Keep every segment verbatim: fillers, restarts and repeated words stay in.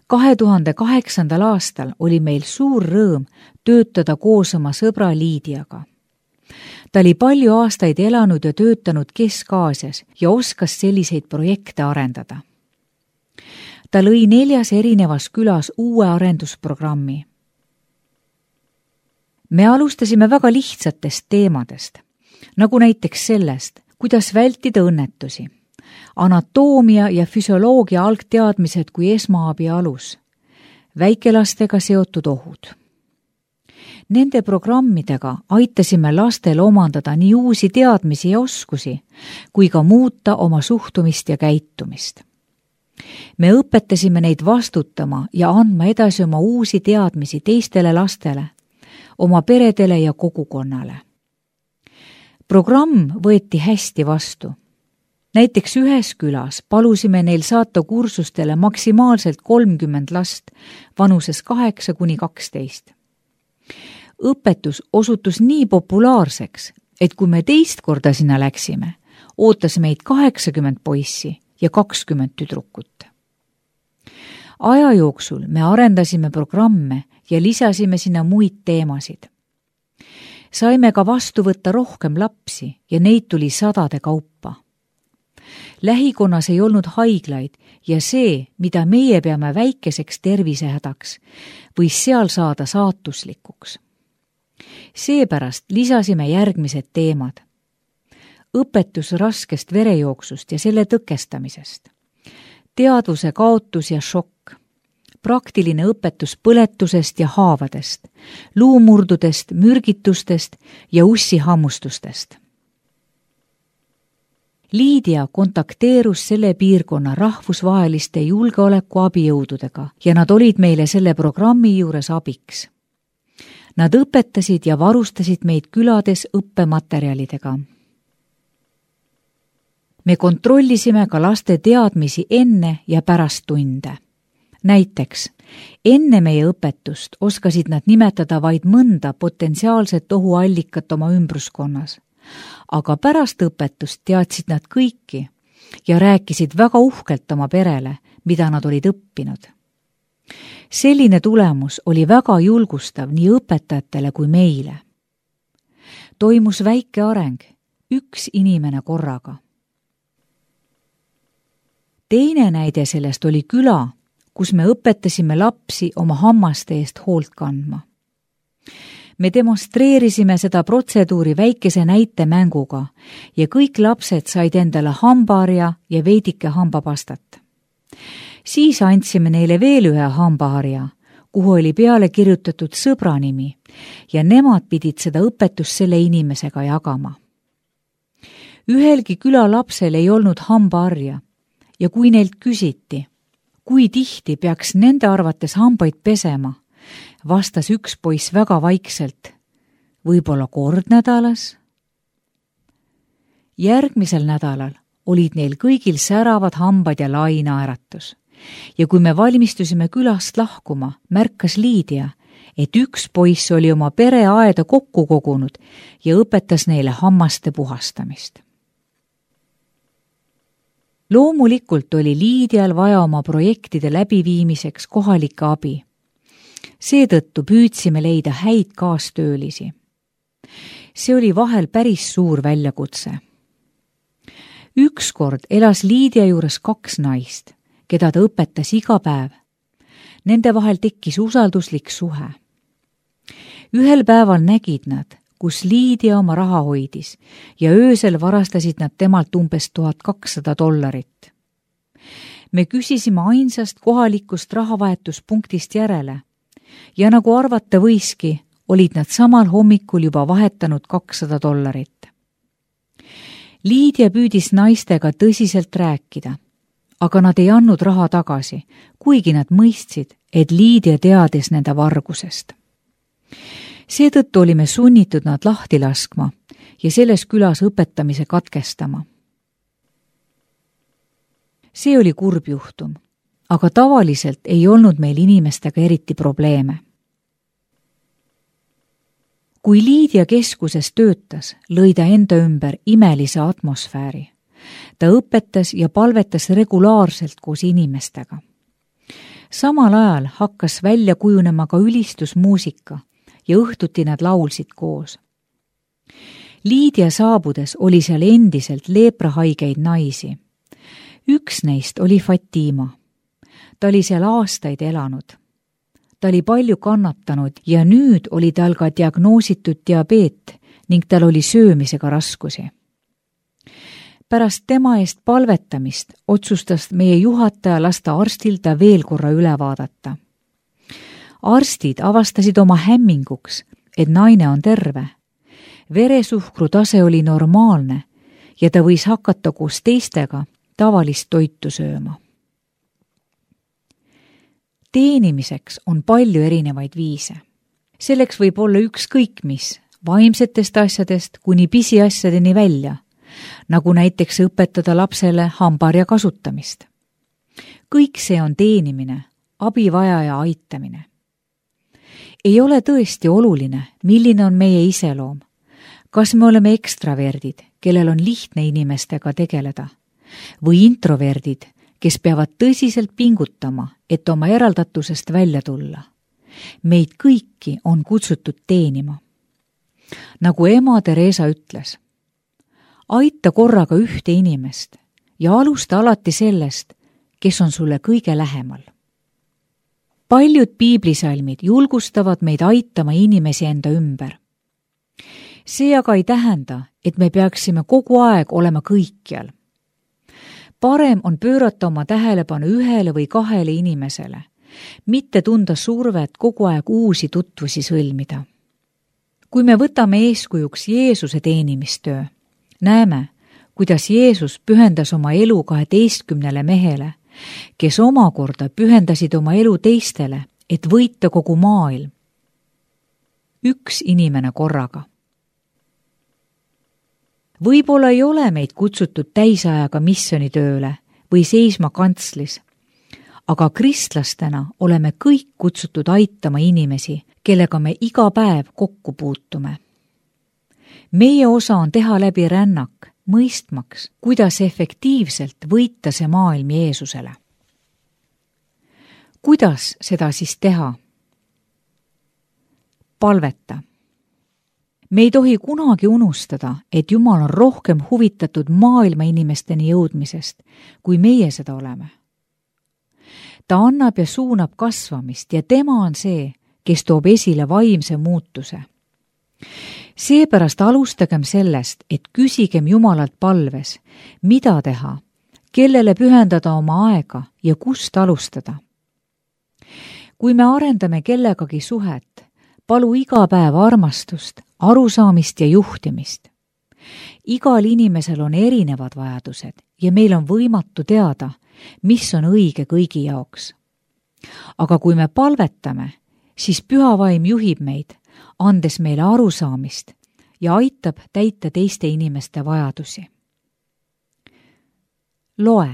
kahe tuhande kaheksandal aastal oli meil suur rõõm töötada koos oma sõbra Liidiaga. Ta oli palju aastaid elanud ja töötanud Kesk-Aasias ja oskas selliseid projekte arendada. Ta lõi neljas erinevas külas uue arendusprogrammi. Me alustasime väga lihtsatest teemadest, nagu näiteks sellest, kuidas vältida õnnetusi, anatoomia ja füsioloogia algteadmised kui esmaabi alus, väikelastega seotud ohud. Nende programmidega aitasime lastel omandada nii uusi teadmisi ja oskusi, kui ka muuta oma suhtumist ja käitumist. Me õpetasime neid vastutama ja andma edasi oma uusi teadmisi teistele lastele, oma peredele ja kogukonnale. Programm võeti hästi vastu. Näiteks ühes külas palusime neil saata kursustele maksimaalselt kolmkümmend last vanuses kaheksa kuni kaksteist. Õpetus osutus nii populaarseks, et kui me teist korda sinna läksime, ootas meid kaheksakümmend poissi ja kakskümmend tüdrukut. Aja jooksul me arendasime programme ja lisasime sinna muid teemasid. Saime ka vastu võtta rohkem lapsi ja neid tuli sadade kaupa. Lähikonnas ei olnud haiglaid ja see, mida meie peame väikeseks tervisehädaks, võis seal saada saatuslikuks. Seepärast lisasime järgmised teemad. Õpetus raskest verejooksust ja selle tõkestamisest. Teadvuse kaotus ja šokk. Praktiline õpetus põletusest ja haavadest, luumurdudest, mürgitustest ja ussihammustustest. Liidia kontakteerus selle piirkonna rahvusvaheliste julgeolekuabijõududega ja nad olid meile selle programmi juures abiks. Nad õpetasid ja varustasid meid külades õppematerjalidega. Me kontrollisime ka laste teadmisi enne ja pärast tunde. Näiteks, enne meie õpetust oskasid nad nimetada vaid mõnda potentsiaalset ohuallikat oma ümbruskonnas, aga pärast õpetust teadsid nad kõiki ja rääkisid väga uhkelt oma perele, mida nad olid õppinud. Selline tulemus oli väga julgustav nii õpetajatele kui meile. Toimus väike areng, üks inimene korraga. Teine näide sellest oli küla, kus me õpetasime lapsi oma hammaste eest hoolt kandma. Me demonstreerisime seda protseduuri väikese näitemänguga ja kõik lapsed said endale hambaharja ja veidike hambapastat. Siis andsime neile veel ühe hambaharja, kuhu oli peale kirjutatud sõbra nimi ja nemad pidid seda õpetust selle inimesega jagama. Ühelgi küla lapsel ei olnud hambaharja ja kui neilt küsiti, kui tihti peaks nende arvates hambaid pesema, vastas üks poiss väga vaikselt, võib-olla kord nädalas. Järgmisel nädalal olid neil kõigil säravad hambad ja lai naeratus. Ja kui me valmistusime külast lahkuma, märkas Liidia, et üks poiss oli oma pereaeda kokku kogunud ja õpetas neile hammaste puhastamist. Loomulikult oli Liidial vaja oma projektide läbiviimiseks kohalike abi. Seetõttu püüdsime leida häid kaastöölisi. See oli vahel päris suur väljakutse. Ükskord elas Liidia juures kaks naist, keda ta õpetas iga päev. Nende vahel tekkis usalduslik suhe. Ühel päeval nägid nad, kus Liidia oma raha hoidis ja öösel varastasid nad temalt umbes tuhat kakssada dollarit. Me küsisime ainsast kohalikust rahavahetuspunktist järele ja nagu arvata võiski, olid nad samal hommikul juba vahetanud kakssada dollarit. Liidia püüdis naistega tõsiselt rääkida, aga nad ei andnud raha tagasi, kuigi nad mõistsid, et Liidia teadis nende vargusest. Seetõttu olime sunnitud nad lahti laskma ja selles külas õpetamise katkestama. See oli kurb juhtum, aga tavaliselt ei olnud meil inimestega eriti probleeme. Kui Liidia keskuses töötas, lõi ta enda ümber imelise atmosfääri. Ta õpetas ja palvetas regulaarselt koos inimestega. samal ajal hakkas välja kujunema ka ülistusmuusika ja õhtuti nad laulsid koos. Liidia saabudes oli seal endiselt leeprahaigeid naisi. Üks neist oli Fatima. Ta oli seal aastaid elanud. Ta oli palju kannatanud ja nüüd oli tal ka diagnoositud diabeet ning tal oli söömisega raskusi. Pärast tema eest palvetamist otsustas meie juhataja lasta arstil ta veel korra üle vaadata. Arstid avastasid oma hämminguks, et naine on terve. Veresuhkru tase oli normaalne ja ta võis hakata koos teistega tavalist toitu sööma. Teenimiseks on palju erinevaid viise. Selleks võib olla ükskõik mis, vaimsetest asjadest kuni pisiasjadeni välja, nagu näiteks õpetada lapsele hambaharja kasutamist. Kõik see on teenimine, abivajaja aitamine. Ei ole tõesti oluline, milline on meie iseloom. Kas me oleme ekstraverdid, kellel on lihtne inimestega tegeleda, või introverdid, kes peavad tõsiselt pingutama, et oma eraldatusest välja tulla. Meid kõiki on kutsutud teenima. Nagu ema Teresa ütles, aita korraga ühte inimest ja alusta alati sellest, kes on sulle kõige lähemal. Paljud piiblisalmid julgustavad meid aitama inimesi enda ümber. See aga ei tähenda, et me peaksime kogu aeg olema kõikjal. Parem on pöörata oma tähelepanu ühele või kahele inimesele, mitte tunda survet kogu aeg uusi tutvusi sõlmida. Kui me võtame eeskujuks Jeesuse teenimistöö, näeme, kuidas Jeesus pühendas oma elu kaheteistkümnele mehele, kes omakorda pühendasid oma elu teistele, et võita kogu maailm. Üks inimene korraga. Võib-olla ei ole meid kutsutud täisajaga missionitööle või seisma kantslis, aga kristlastena oleme kõik kutsutud aitama inimesi, kellega me iga päev kokku puutume. Meie osa on teha läbi rännak, mõistmaks, kuidas efektiivselt võita see maailm Jeesusele. Kuidas seda siis teha? Palveta. Me ei tohi kunagi unustada, et Jumal on rohkem huvitatud maailma inimesteni jõudmisest, kui meie seda oleme. Ta annab ja suunab kasvamist ja tema on see, kes toob esile vaimse muutuse. Seepärast alustagem sellest, et küsigem Jumalalt palves, mida teha, kellele pühendada oma aega ja kust alustada. Kui me arendame kellegagi suhet, palu iga päev armastust, arusaamist ja juhtimist. Igal inimesel on erinevad vajadused ja meil on võimatu teada, mis on õige kõigi jaoks. Aga kui me palvetame, siis Püha Vaim juhib meid, andes meile arusaamist ja aitab täita teiste inimeste vajadusi. Loe.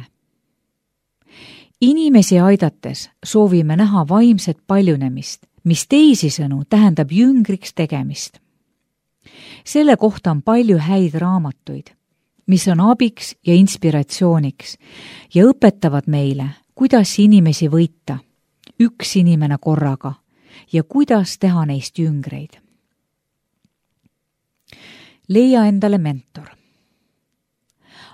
Inimesi aidates soovime näha vaimset paljunemist, mis teisisõnu tähendab jüngriks tegemist. Selle kohta on palju häid raamatuid, mis on abiks ja inspiratsiooniks ja õpetavad meile, kuidas inimesi võita, üks inimene korraga, ja kuidas teha neist jüngreid. Leia endale mentor.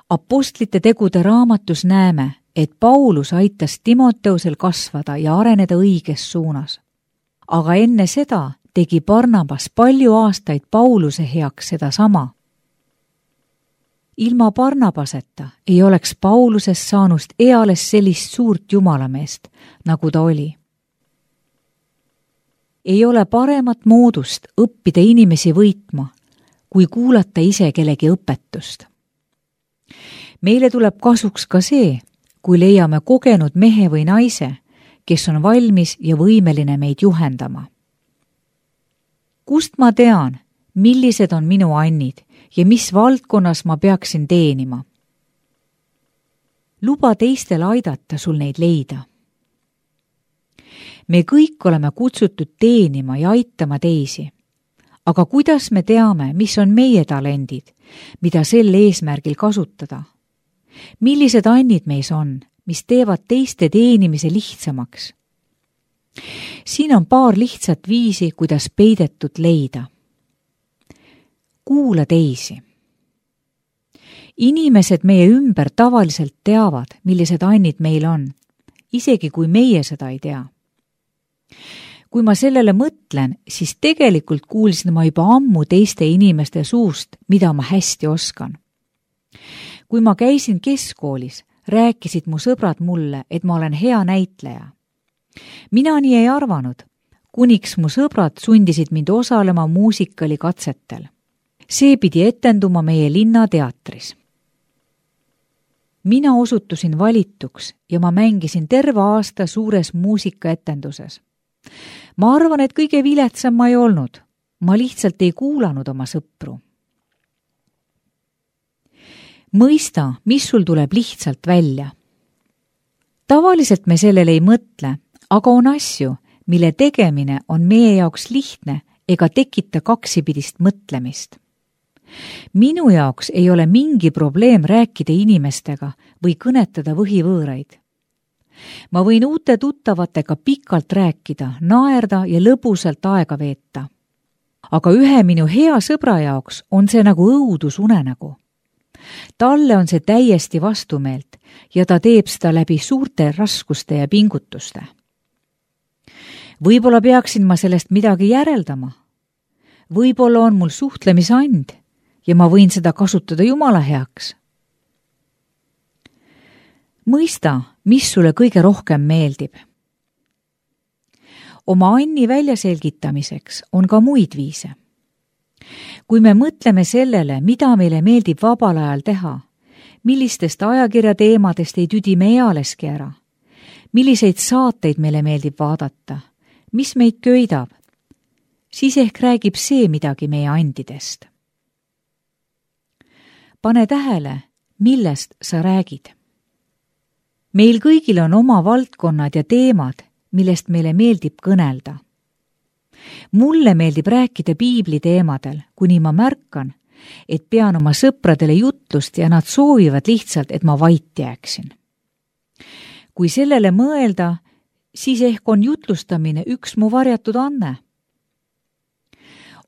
Apostlite tegude raamatus näeme, et Paulus aitas Timoteusel kasvada ja areneda õiges suunas. Aga enne seda tegi Barnabas palju aastaid Pauluse heaks seda sama. Ilma Barnabaseta ei oleks Paulusest saanust eales sellist suurt jumalameest, nagu ta oli. Ei ole paremat moodust õppida inimesi võitma, kui kuulata ise kellegi õpetust. Meile tuleb kasuks ka see, kui leiame kogenud mehe või naise, kes on valmis ja võimeline meid juhendama. Kust ma tean, millised on minu annid ja mis valdkonnas ma peaksin teenima? Luba teistel aidata sul neid leida. Me kõik oleme kutsutud teenima ja aitama teisi. Aga kuidas me teame, mis on meie talendid, mida sel eesmärgil kasutada? Millised annid meis on, mis teevad teiste teenimise lihtsamaks siin on paar lihtsat viisi, kuidas peidetut leida. Kuula teisi. Inimesed meie ümber tavaliselt teavad, millised annid meil on, isegi kui meie seda ei tea. Kui ma sellele mõtlen, siis tegelikult kuulsin ma juba ammu teiste inimeste suust, mida ma hästi oskan. Kui ma käisin keskkoolis, rääkisid mu sõbrad mulle, et ma olen hea näitleja. Mina nii ei arvanud, kuniks mu sõbrad sundisid mind osalema muusikali-katsetel. See pidi etenduma meie linnateatris. Mina osutusin valituks ja ma mängisin terve aasta suures muusikaetenduses. Ma arvan, et kõige viletsam ma ei olnud. Ma lihtsalt ei kuulanud oma sõpru. Mõista, mis sul tuleb lihtsalt välja. Tavaliselt me sellele ei mõtle, aga on asju, mille tegemine on meie jaoks lihtne ega tekita kaksipidist mõtlemist. Minu jaoks ei ole mingi probleem rääkida inimestega või kõnetada võhivõõraid. Ma võin uute tuttavatega pikalt rääkida, naerda ja lõbusalt aega veeta. Aga ühe minu hea sõbra jaoks on see nagu õudusunenägu. Talle on see täiesti vastumeelt ja ta teeb seda läbi suurte raskuste ja pingutuste. Võib-olla peaksin ma sellest midagi järeldama. Võib-olla on mul suhtlemisand ja ma võin seda kasutada Jumala heaks. Mõista, mis sulle kõige rohkem meeldib. Oma anni väljaselgitamiseks on ka muid viise. Kui me mõtleme sellele, mida meile meeldib vabal ajal teha, millistest ajakirja teemadest ei tüdi me ealeski ära, milliseid saateid meile meeldib vaadata, mis meid köidab, siis ehk räägib see midagi meie andidest. Pane tähele, millest sa räägid. Meil kõigil on oma valdkonnad ja teemad, millest meile meeldib kõnelda. Mulle meeldib rääkida piibli teemadel, kuni ma märkan, et pean oma sõpradele jutlust ja nad soovivad lihtsalt, et ma vait jääksin. Kui sellele mõelda, siis ehk on jutlustamine üks mu varjatud anne.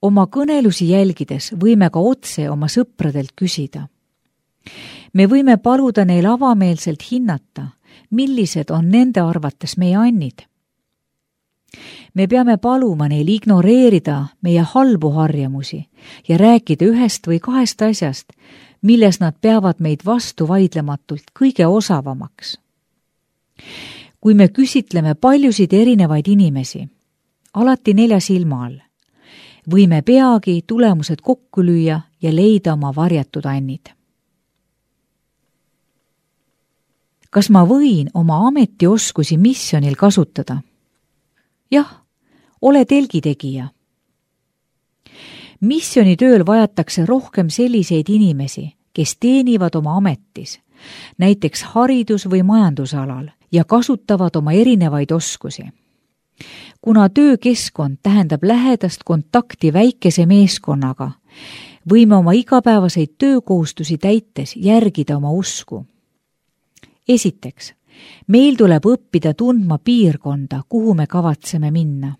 Oma kõnelusi jälgides võime ka otse oma sõpradelt küsida. Me võime paluda neil avameelselt hinnata, millised on nende arvates meie annid. Me peame paluma neil ignoreerida meie halbu harjamusi ja rääkida ühest või kahest asjast, milles nad peavad meid vastu vaidlematult kõige osavamaks. Kui me küsitleme paljusid erinevaid inimesi, alati nelja silma all, võime peagi tulemused kokku lüüa ja leida oma varjatud annid. Kas ma võin oma ametioskusi missionil kasutada? Jah, ole telgitegija. Missionitööl vajatakse rohkem selliseid inimesi, kes teenivad oma ametis, näiteks haridus- või majandusalal ja kasutavad oma erinevaid oskusi. Kuna töökeskkond tähendab lähedast kontakti väikese meeskonnaga, võime oma igapäevaseid töökohustusi täites järgida oma usku. Esiteks, meil tuleb õppida tundma piirkonda, kuhu me kavatseme minna.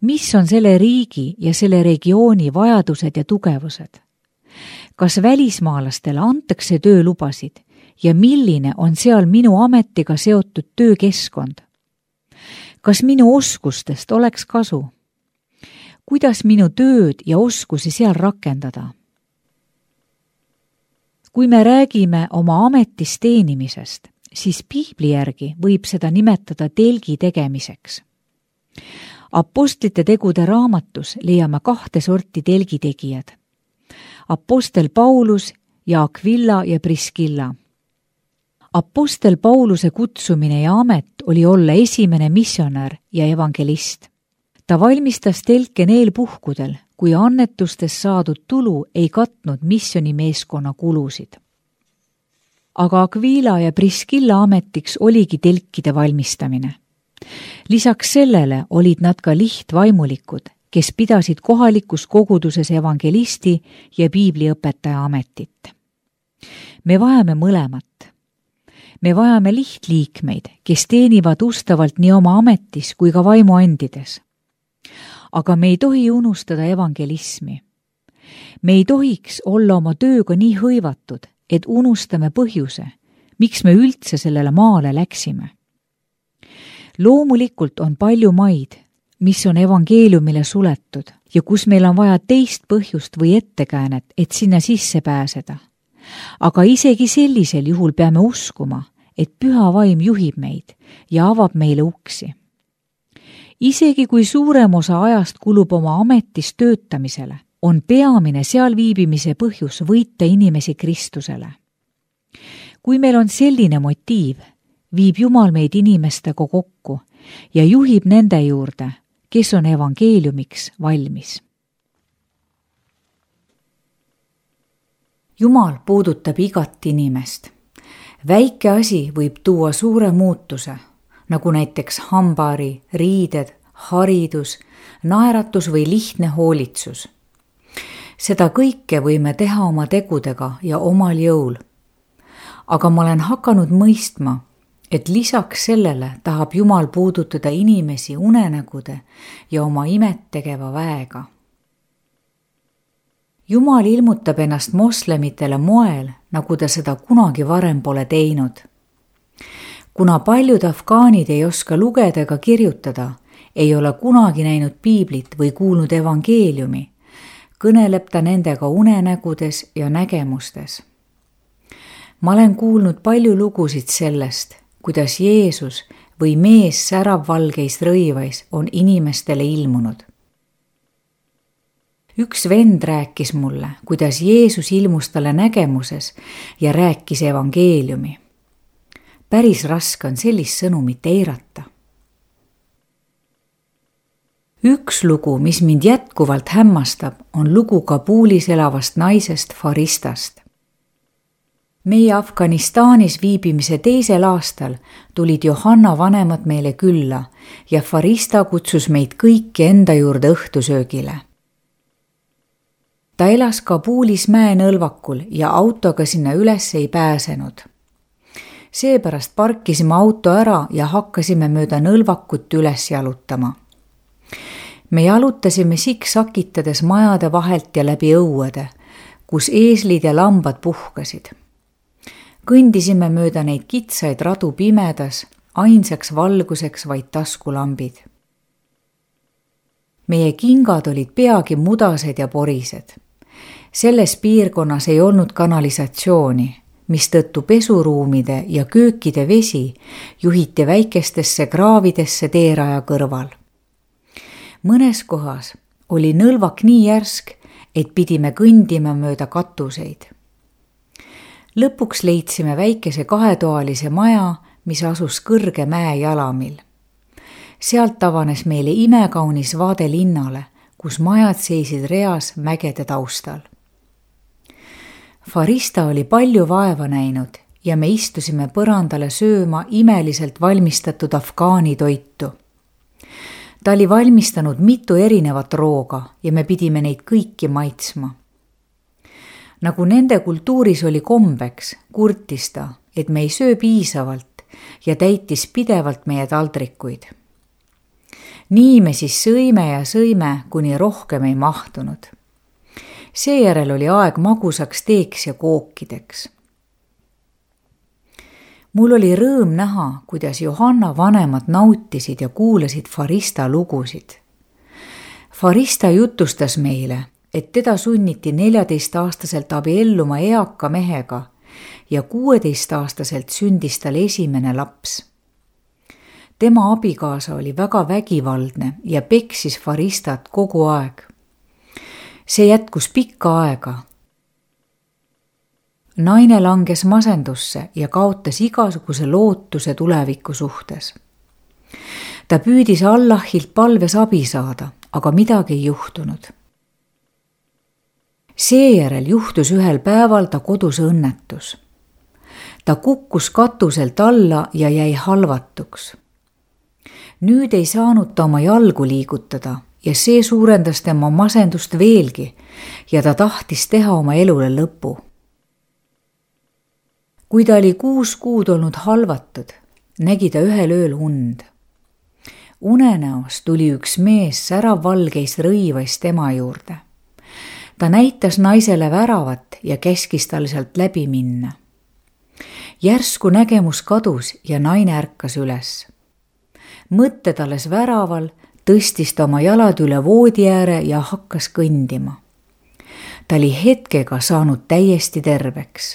Mis on selle riigi ja selle regiooni vajadused ja tugevused? Kas välismaalastele antakse töölubasid ja milline on seal minu ametiga seotud töökeskkond? Kas minu oskustest oleks kasu? Kuidas minu tööd ja oskusi seal rakendada? Kui me räägime oma ametis teenimisest, siis piibli järgi võib seda nimetada telgi tegemiseks. Apostlite tegude raamatus leiame kahte sorti telgitegijad. Apostel Paulus ja Aquila ja Priskilla. Apostel Pauluse kutsumine ja amet oli olla esimene missionär ja evangelist. Ta valmistas telke neil puhkudel, kui annetustest saadud tulu ei katnud missionimeeskonna kulusid. Aga Aquila ja Priskilla ametiks oligi telkide valmistamine. Lisaks sellele olid nad ka lihtvaimulikud, kes pidasid kohalikus koguduses evangelisti ja piibliõpetaja ametit. Me vajame mõlemat. me vajame lihtliikmeid, kes teenivad ustavalt nii oma ametis kui ka vaimuandides. Aga me ei tohi unustada evangelismi. Me ei tohiks olla oma tööga nii hõivatud, et unustame põhjuse, miks me üldse sellele maale läksime. Loomulikult on palju maid, mis on evangeeliumile suletud ja kus meil on vaja teist põhjust või ettekäänet, et sinna sisse pääseda. Aga isegi sellisel juhul peame uskuma, et püha vaim juhib meid ja avab meile uksi. Isegi kui suurem osa ajast kulub oma ametis töötamisele, on peamine seal viibimise põhjus võita inimesi Kristusele. Kui meil on selline motiiv, viib Jumal meid inimestega kokku ja juhib nende juurde, kes on evangeeliumiks valmis. Jumal puudutab igat inimest. Väike asi võib tuua suure muutuse, nagu näiteks hambari, riided, haridus, naeratus või lihtne hoolitsus. Seda kõike võime teha oma tegudega ja omal jõul. Aga ma olen hakanud mõistma, et lisaks sellele tahab Jumal puudutada inimesi unenägude ja oma imet tegeva väega. Jumal ilmutab ennast moslemitele moel, nagu ta seda kunagi varem pole teinud. Kuna paljud afgaanid ei oska lugeda ega kirjutada, ei ole kunagi näinud piiblit või kuulnud evangeeliumi, kõneleb ta nendega unenägudes ja nägemustes. Ma olen kuulnud palju lugusid sellest, kuidas Jeesus või mees säravvalgeis rõivais on inimestele ilmunud. Üks vend rääkis mulle, kuidas Jeesus ilmus talle nägemuses ja rääkis evangeeliumi. Päris raske on sellist sõnumit eirata. Üks lugu, mis mind jätkuvalt hämmastab, on lugu Kabulis elavast naisest Faristast. Meie Afganistanis viibimise teisel aastal tulid Johanna vanemad meile külla ja Farista kutsus meid kõiki enda juurde õhtusöögile. Ta elas Kabulis mäenõlvakul ja autoga sinna üles ei pääsenud. Seepärast parkisime auto ära ja hakkasime mööda nõlvakut üles jalutama. Me jalutasime siksakitades majade vahelt ja läbi õuede, kus eeslid ja lambad puhkasid. Kõndisime mööda neid kitsaid radu pimedas, ainsaks valguseks vaid taskulambid. Meie kingad olid peagi mudased ja porised. Selles piirkonnas ei olnud kanalisatsiooni, mistõttu pesuruumide ja köökide vesi juhiti väikestesse kraavidesse teeraja kõrval. Mõnes kohas oli nõlvak nii järsk, et pidime kõndima mööda katuseid. Lõpuks leidsime väikese kahetoalise maja, mis asus kõrge mäe jalamil. Sealt avanes meile imekaunis vaade linnale, kus majad seisid reas mägede taustal. Farista oli palju vaeva näinud ja me istusime põrandale sööma imeliselt valmistatud afgaani toitu. Ta oli valmistanud mitu erinevat rooga ja me pidime neid kõiki maitsma. Nagu nende kultuuris oli kombeks, kurtis ta, et me ei söö piisavalt ja täitis pidevalt meie taldrikuid. Nii me siis sõime ja sõime, kuni rohkem ei mahtunud. Seejärel oli aeg magusaks teeks ja kookideks. Mul oli rõõm näha, kuidas Johanna vanemad nautisid ja kuulasid Farista lugusid. Farista jutustas meile, et teda sunniti neljateistaastaselt abielluma eaka mehega ja kuueteistaastaselt sündis tal esimene laps. Tema abikaasa oli väga vägivaldne ja peksis Faristat kogu aeg. See jätkus pikka aega. Naine langes masendusse ja kaotas igasuguse lootuse tuleviku suhtes. Ta püüdis Allahilt palves abi saada, aga midagi ei juhtunud. Seejärel juhtus ühel päeval ta kodus õnnetus. Ta kukkus katuselt alla ja jäi halvatuks. Nüüd ei saanud ta oma jalgu liigutada ja see suurendas tema masendust veelgi ja ta tahtis teha oma elule lõpu. kui ta oli kuus kuud olnud halvatud, nägi ta ühel ööl und. Unenäos tuli üks mees säravvalgeis rõivas tema juurde. Ta näitas naisele väravat ja käskis tal sealt läbi minna. Järsku nägemus kadus ja naine ärkas üles. Mõtted alles väraval, tõstis ta oma jalad üle voodi ääre ja hakkas kõndima. Ta oli hetkega saanud täiesti terveks.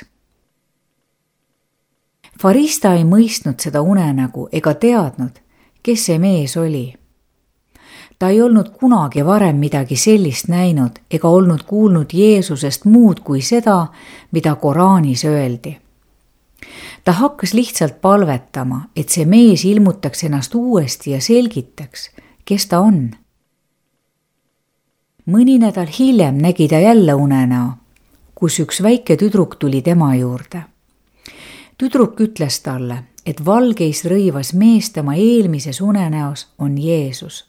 Farista ei mõistnud seda unenägu ega teadnud, kes see mees oli. Ta ei olnud kunagi varem midagi sellist näinud ega olnud kuulnud Jeesusest muud kui seda, mida Koraanis öeldi. Ta hakkas lihtsalt palvetama, et see mees ilmutaks ennast uuesti ja selgitaks, kes ta on. Mõni nädal hiljem nägi ta jälle unenäo, kus üks väike tüdruk tuli tema juurde. Tüdruk ütles talle, et valgeis rõivas mees tema eelmises unenäos on Jeesus.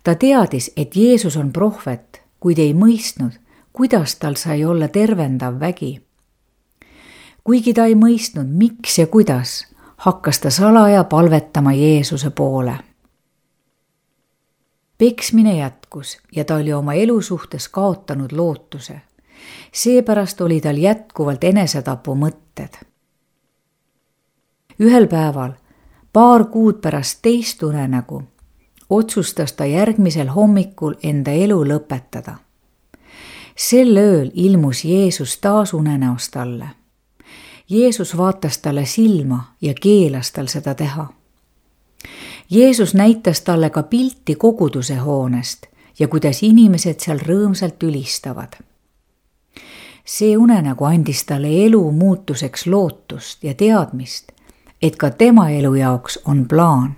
Ta teadis, et Jeesus on prohvet, kuid ei mõistnud, kuidas tal sai olla tervendav vägi. Kuigi ta ei mõistnud, miks ja kuidas, hakkas ta salaja palvetama Jeesuse poole. Peksmine jätkus ja ta oli oma elu suhtes kaotanud lootuse. Seepärast oli tal jätkuvalt enesetapu mõtted. Ühel päeval, paar kuud pärast teist unenägu, otsustas ta järgmisel hommikul enda elu lõpetada. Sel ööl ilmus Jeesus taas unenäos talle. Jeesus vaatas talle silma ja keelas tal seda teha. Jeesus näitas talle ka pilti koguduse hoonest ja kuidas inimesed seal rõõmsalt ülistavad. See unenägu andis talle elu muutuseks lootust ja teadmist, et ka tema elu jaoks on plaan.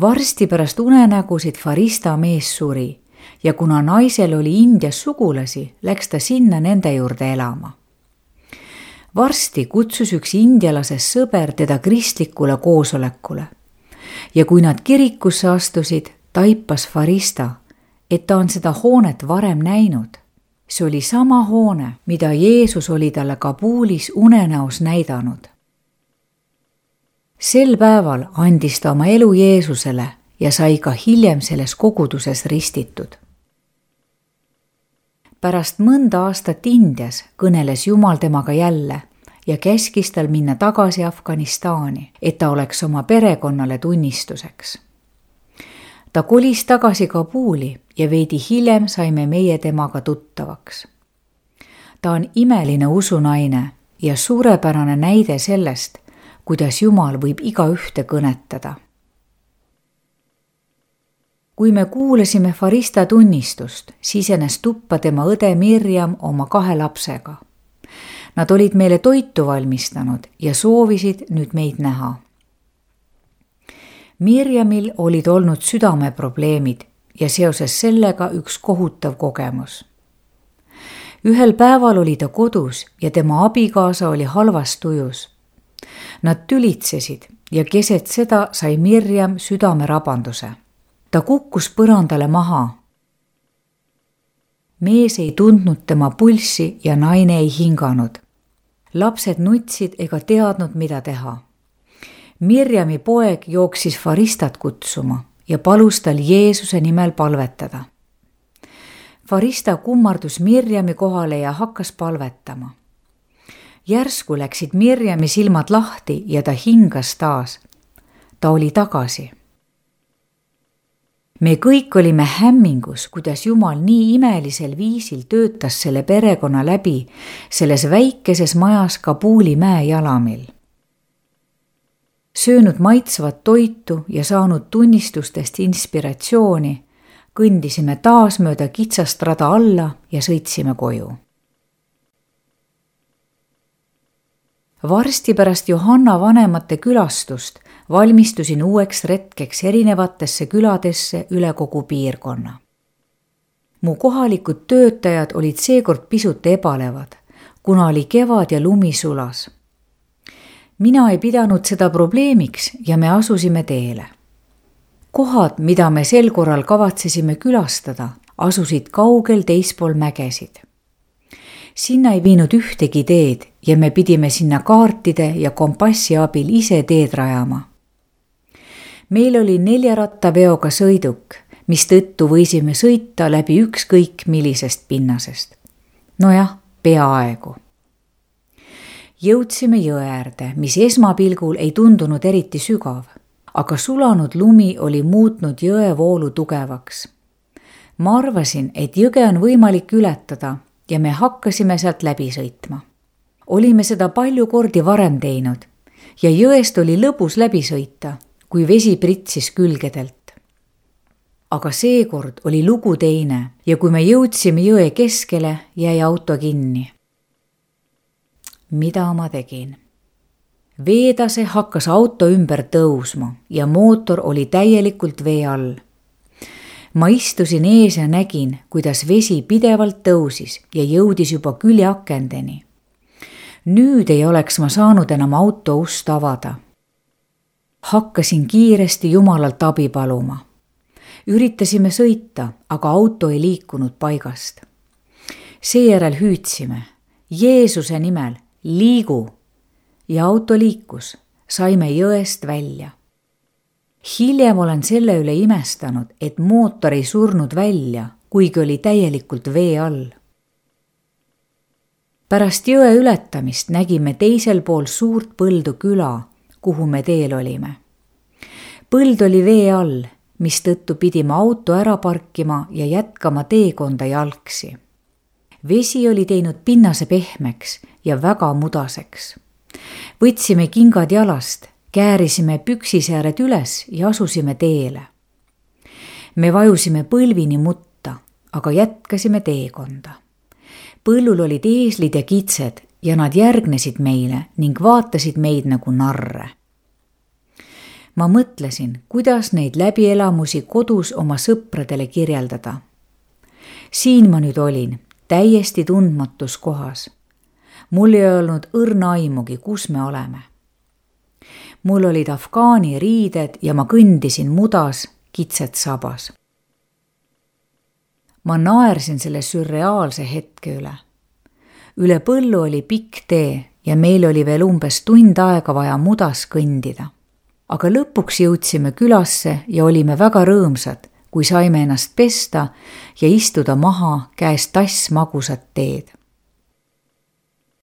Varsti pärast unenägusid Farista mees suri ja kuna naisel oli Indias sugulasi, läks ta sinna nende juurde elama. Varsti kutsus üks indialase sõber teda kristlikule koosolekule ja kui nad kirikusse astusid, taipas Farista, et ta on seda hoonet varem näinud. See oli sama hoone, mida Jeesus oli talle Kabulis unenäos näidanud. Sel päeval andis ta oma elu Jeesusele ja sai ka hiljem selles koguduses ristitud. Pärast mõnda aastat Indias kõneles Jumal temaga jälle ja käskis tal minna tagasi Afganistani, et ta oleks oma perekonnale tunnistuseks. Ta kolis tagasi Kabuli ja veidi hiljem saime meie temaga tuttavaks. Ta on imeline usunaine ja suurepärane näide sellest, kuidas Jumal võib igaühte kõnetada. Kui me kuulasime Farista tunnistust, sisenes tuppa tema õde Mirjam oma kahe lapsega. Nad olid meile toitu valmistanud ja soovisid nüüd meid näha. Mirjamil olid olnud südameprobleemid ja seoses sellega üks kohutav kogemus. Ühel päeval oli ta kodus ja tema abikaasa oli halvas tujus. Nad tülitsesid ja keset seda sai Mirjam südamerabanduse. Ta kukkus põrandale maha. Mees ei tundnud tema pulssi ja naine ei hinganud. Lapsed nutsid ega teadnud, mida teha. Mirjami poeg jooksis Faristat kutsuma ja palus tal Jeesuse nimel palvetada. Farista kummardus Mirjami kohale ja hakkas palvetama. Järsku läksid Mirjami silmad lahti ja ta hingas taas. Ta oli tagasi. Me kõik olime hämmingus, kuidas Jumal nii imelisel viisil töötas selle perekonna läbi selles väikeses majas Kabuli mäe jalamil. Söönud maitsvat toitu ja saanud tunnistustest inspiratsiooni, kõndisime taas mööda kitsast rada alla ja sõitsime koju. Varsti pärast Johanna vanemate külastust valmistusin uueks retkeks erinevatesse küladesse üle kogu piirkonna. Mu kohalikud töötajad olid seekord pisut ebalevad, kuna oli kevad ja lumi sulas. Mina ei pidanud seda probleemiks ja me asusime teele. Kohad, mida me sel korral kavatsesime külastada, asusid kaugel teispool mägesid. Sinna ei viinud ühtegi teed ja me pidime sinna kaartide ja kompassi abil ise teed rajama. Meil oli neljarattaveoga sõiduk, mis tõttu võisime sõita läbi ükskõik millisest pinnasest. Nojah, peaaegu. Jõudsime jõe äärde, mis esmapilgul ei tundunud eriti sügav, aga sulanud lumi oli muutnud jõe voolu tugevaks. Ma arvasin, et jõge on võimalik ületada ja me hakkasime sealt läbi sõitma. Olime seda palju kordi varem teinud ja jõest oli lõbus läbi sõita, kui vesi pritsis külgedelt. Aga seekord oli lugu teine ja kui me jõudsime jõe keskele, jäi auto kinni. Mida ma tegin? Veetase hakkas auto ümber tõusma ja mootor oli täielikult vee all. Ma istusin ees ja nägin, kuidas vesi pidevalt tõusis ja jõudis juba küljeakendeni. Nüüd ei oleks ma saanud enam auto ust avada. Hakkasin kiiresti Jumalalt abi paluma. Üritasime sõita, aga auto ei liikunud paigast. Seejärel hüüdsime, Jeesuse nimel, liigu! Ja auto liikus, saime jõest välja. Hiljem olen selle üle imestanud, et mootor ei surnud välja, kuigi oli täielikult vee all. Pärast jõe ületamist nägime teisel pool suurt põldu küla, kuhu me teel olime. Põld oli vee all, mis tõttu pidime auto ära parkima ja jätkama teekonda jalgsi. Vesi oli teinud pinnase pehmeks ja väga mudaseks. Võtsime kingad jalast, käärisime püksisääred üles ja asusime teele. Me vajusime põlvini mutta, aga jätkasime teekonda. Põllul olid eeslid ja kitsed ja nad järgnesid meile ning vaatasid meid nagu narre. Ma mõtlesin, kuidas neid läbielamusi kodus oma sõpradele kirjeldada. Siin ma nüüd olin, täiesti tundmatus kohas. Mul ei olnud õrna aimugi, kus me oleme. Mul olid afgaani riided ja ma kõndisin mudas, kitsed sabas. Ma naersin selle sürreaalse hetke üle. Üle põllu oli pikk tee ja meil oli veel umbes tund aega vaja mudas kõndida. Aga lõpuks jõudsime külasse ja olime väga rõõmsad, kui saime ennast pesta ja istuda maha käes tass magusat teed.